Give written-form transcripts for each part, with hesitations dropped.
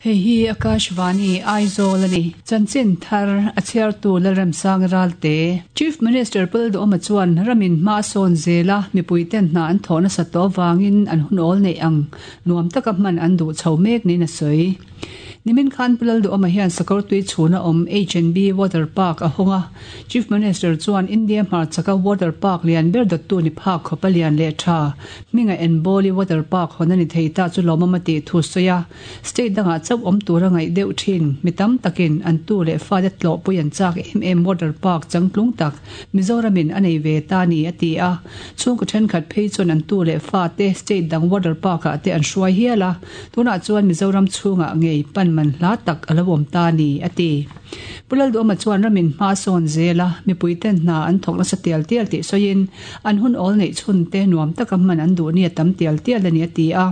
Hei hi Akashvani, Aizawl a ni. Chanchin thar a chhiartu Lalremsang Ralte. Chief Minister Pul Duhawma chuan ramin hma a sawn zel a, mipuiten hna an thawh nasa tawh avangin an hun awl neih ang nuam taka hman an duh chho mek niin a sawi. Nimin khan Pu Lalduhawma hian sakawr tui chhuna awm H&B Water Park a hawng a, Chief Minister chuan India hmarchhaka water park lian ber dawttu ni phak khawp a lian leh tha hminga Enbawli Water Park hawn a ni thei ta chu lawmawm a tih thu sawi a, State dangah chauh awm tura ngaih deuh thin mi tam takin an tu leh fate tlawhpui an chak em em water park changtlung tak Mizoramin a nei ve ta ni a ti a, chhungkaw thenkhat phei chuan an tu leh fate state dang water park ah te an hruai hial a, tunah chuan Mizoram chhungah ngei pan man hla tak a lo awm ta ni a ti. Pu Lalduhawma chuan ramin hma a sawn zel a, mipuiten hna an thawk nasa tial tial tih sawiin an hun awl neih chhun te nuam taka hman an duh ni a tam tial tial a ni a ti a.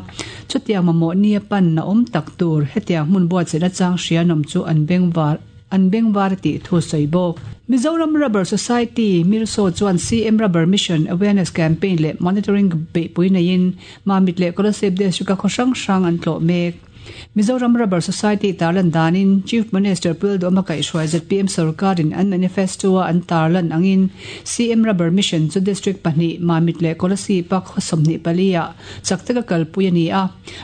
Chutiang mamawh nia pan a awm tak tur hetiang hmun buatsaihna chang hrianawm chu an bengvar an bengvar a tih thu sawi bawk. Mizoram Rubber Society, Mirso chuan CM Rubber Mission Awareness Campaign leh Monitoring beihpui neiin Mamit leh Kolasib District-a khaw hrang hrang an tlawh mek. Mizoram Rubber Society tarlan danin Chief Minister Pu Lalduhawma kaihhruai zpm sorkarin an manifesto-a an tarlan angin CM Rubber Mission chu District pahnih Mamit leh Kolasib-a khaw 24 ah chak taka kalpui a ni a.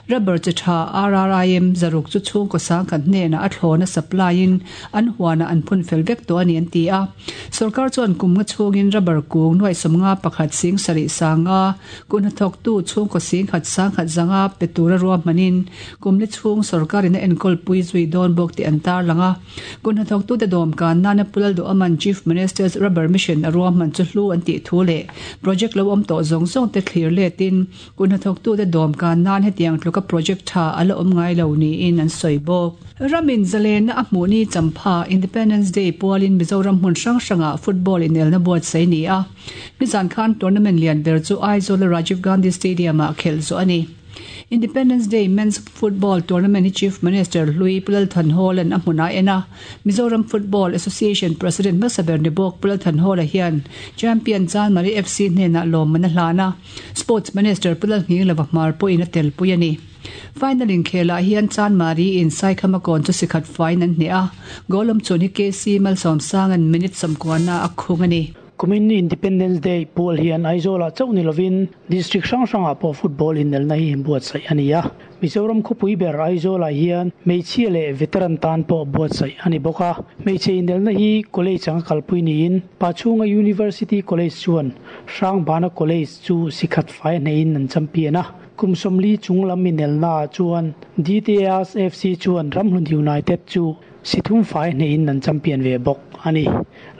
Rubber chi tha RRIM zaruk chu chhungkaw sangkhat hnenah a thlawna supply-in an huanah an phun fel vek tawh a ni an ti a. Sorkar chuan kum nga chhungin rubber kung nuaih 51 sing sarih sanga Kut hnathawktu chhungkaw singkhat sangkhat zanga pe tura ruahmanin kumli chhung sorkarin a enkawl pui zui dawn bawk tih an tarlang a. Kut hnathawktute dawmkan nana Pu Lalduhaman Chief Minister's Rubber Mission a ruahman chu hlu an tih thu leh project lo awm tawh zawng zawng te thlir letin kut hnathawktute dawmkan nan hetiang tluka project tha a la awm ngai lo niin an sawi bawk. Ramin zalenna a hmuh ni champha Independence Day pualin Mizoram hmun hrang hrangah football inelna buatsaih a ni a. Nizan khan tournament lian ber chu Aizawl-a Rajiv Gandhi Stadium-ah khelh zawh a ni. Independence Day Men's Football Tournament hi Chief Minister hlui Pu Lal Thanhawla'n a hmunah a en a. Mizoram Football Association President hmasa ber ni bawk Pu Lal Thanhawla hian Champion Chanmari FC hnenah lawmman a hlan a. Sports Minister Pu Lal Nghinglova hmar pawhin a telpui a ni. Final inkhelah hian Chanmari in Saikhama kawn chu sikhat faiin an hneh a. Goal awmchhun hi KC Malsawmsanga'n minute sawmkuana a khung a ni. Kumin Independence Day pual hian Aizawlah chauh ni lovin District hrang hrangah pawh football inelna hi buatsaih a ni a. Mizoram khawpui ber Aizawlah hian hmeichhia leh veteran tan pawh buatsaih a ni bawk a. Hmeichhe inelna hi college anga kalpui niin Pachhunga University College chuan Hrangbana College chu sikhat fai hneihin an champion a. Kum 40 chung lam inelnaah chuan DTAS FC chuan Ramhlun United chu Sithum fai hneihin an champion ve bawk a ni.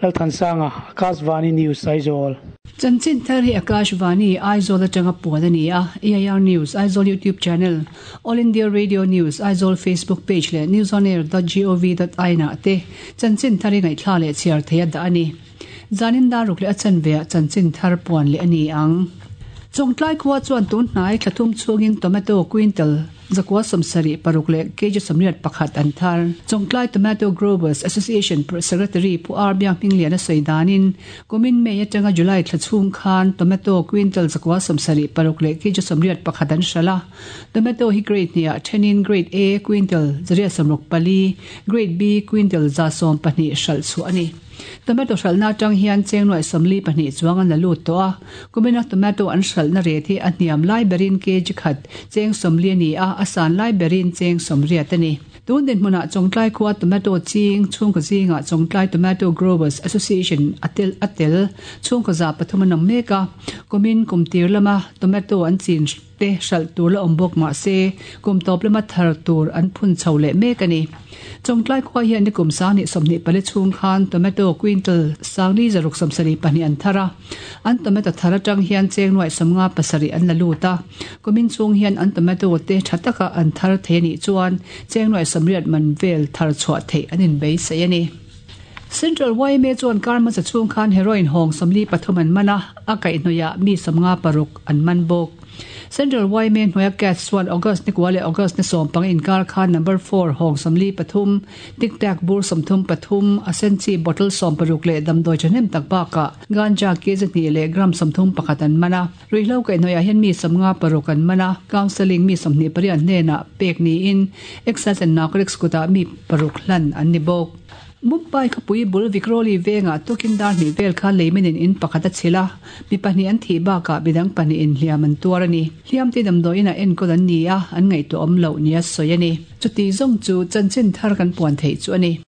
Lalthansanga, Akashvani News, Aizawl. Chanchin thar hi Akashvani, Aizawl atanga puan a ni a, AIR News, Aizawl YouTube channel, All India Radio News, Aizawl Facebook page leh newsonair dot gov dot in ah te chanchin thar hi ngaihthla leh chhiar thei a dah a ni. Zanin dar ruk leh a chanveah chanchin thar puan leh a ni ang. Chawngtlai khua chuan tun hnai thla thum chhungin tomato quintal Zakua 76 leh kg 81 an thar. Chawngtlai Tomato Growers Association Secretary Pu R Biak Hminglian a sawi danin, kumin May atanga July thla chhung khan tomato quintal zakua 76 leh kg 81 an hralh a. Tomato hi grade hniah thenin Grade A quintal 164, Grade B quintal 112 hralh chhuah a ni. Tomato hralhna atang hian cheng nuaih 42 chuang an la lut tawh a, kumina tomato an hralhna ret hi a hniam lai berin kg khat cheng 40 a ni a, a san lai berin cheng 80 a ni. Tun dinhmunah Chawngtlai khua tomato ching chhungkaw zingah Chawngtlai Tomato Growers Association a tel a tel chhungkaw 300 an awm mek a, kumin kum tir lama tomato an chin te hralh tur la awm bawk mah se kum tawp lama thar tur an phun chho leh mek a ni. Chawngtlai khua hian ni kum sang nih 24 chhung khan tomato quintal sangli zaruk 72 an thar a, an tomato thar atang hian cheng nuaih 57 an la lut a, kumin chhung hian an tomato te tha taka an thar thei a nih chuan cheng nuaih 80 man vel thar chhuah theih an inbeisei a ni. Central yma chuan kar hmasa chhung khan heroin hawng 43 an man a, a kaihhnawihah mi 56 an man bawk. Central yma hnuaia CADS chuan August ni kua leh August ni sawmpang inkar khan number four hawng 43, Tic Tac bur 33, a sen chi bottle 60 leh damdawi thahnem tak bakah ganja kg hnih leh gram 31 an man a. Ruihhlo kaihhnawihah hian mi 56 an man a, counselling mi 28 hnenah pek niin Excise and Narcotics kutah mi paruk hlan an ni bawk. Mumbai khawpui bul Vikhroli vengah tukin dar hnih vel khan leiminin in pakhat a chhilh a, mi pahnih an thih bakah midang pahnihin hliam an tuar a ni. Hliamte damdawiinah enkawl an ni a, an ngaihtuah awm loh nia sawi a ni. Chuti zawng chu chanchin thar kan puan theih chu a ni.